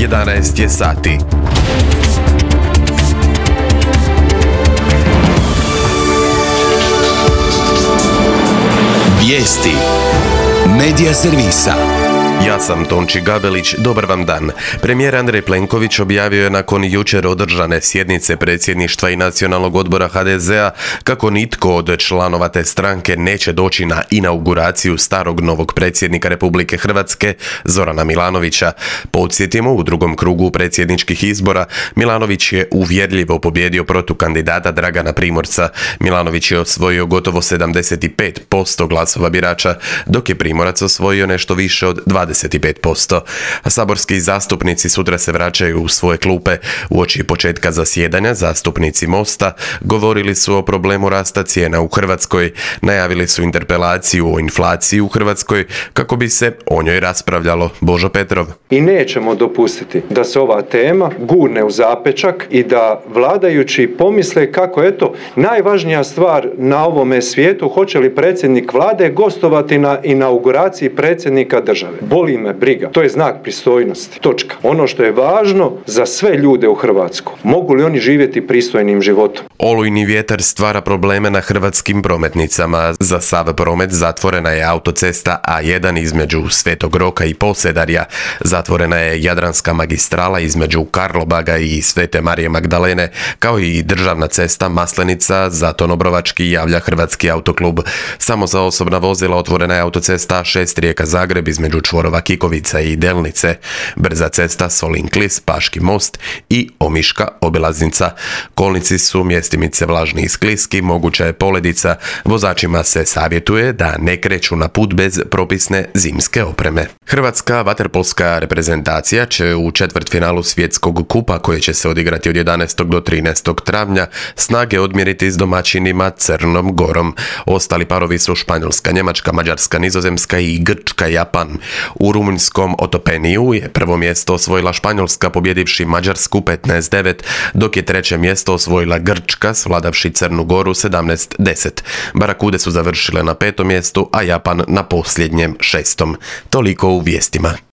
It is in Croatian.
11 je sati. Vijesti Medija servisa. Ja sam Tonči Gabelić, dobar vam dan. Premijer Andrej Plenković objavio je nakon jučer održane sjednice predsjedništva i Nacionalnog odbora HDZ-a kako nitko od članova te stranke neće doći na inauguraciju starog novog predsjednika Republike Hrvatske, Zorana Milanovića. Podsjetimo, u drugom krugu predsjedničkih izbora Milanović je uvjerljivo pobijedio protukandidata Dragana Primorca. Milanović je osvojio gotovo 75% glasova birača, dok je Primorac osvojio nešto više od 25%. A saborski zastupnici sutra se vraćaju u svoje klupe. Uoči početka zasjedanja zastupnici Mosta govorili su o problemu rasta cijena u Hrvatskoj, najavili su interpelaciju o inflaciji u Hrvatskoj kako bi se o njoj raspravljalo. Božo Petrov. I nećemo dopustiti da se ova tema gurne u zapečak i da vladajući pomisle kako najvažnija stvar na ovome svijetu, hoće li predsjednik vlade gostovati na inauguraciji predsjednika države. Boli me briga. To je znak pristojnosti. Točka. Ono što je važno za sve ljude u Hrvatskoj. Mogu li oni živjeti pristojnim životom? Olujni vjetar stvara probleme na hrvatskim prometnicama. Za sav promet zatvorena je autocesta A1 između Svetog Roka i Posedarja. Zatvorena je Jadranska magistrala između Karlobaga i Svete Marije Magdalene, kao i državna cesta Maslenica, Zatono-Brovački, javlja Hrvatski autoklub. Samo za osobna vozila otvorena je autocesta A6 Rijeka-Zagreb između čvorova Kikovica i Delnice, brza cesta Solin-Klis, Paški most i Omiška obilaznica. Kolnici su mjestimice vlažni i skliski, moguća je poledica. Vozačima se savjetuje da ne kreću na put bez propisne zimske opreme. Hrvatska vaterpolska reprezentacija će u četvrtfinalu svjetskog kupa, koje će se odigrati od 11. do 13. travnja, snage odmjeriti s domaćinima Crnom Gorom. Ostali parovi su Španjolska, Njemačka, Mađarska, Nizozemska i Grčka, Japan. U rumunjskom Otopeniju je prvo mjesto osvojila Španjolska pobjedivši Mađarsku 15-9, dok je treće mjesto osvojila Grčka svladavši Crnu Goru 17-10. Barakude su završile na 5. mjestu, a Japan na posljednjem 6. Toliko u vijestima.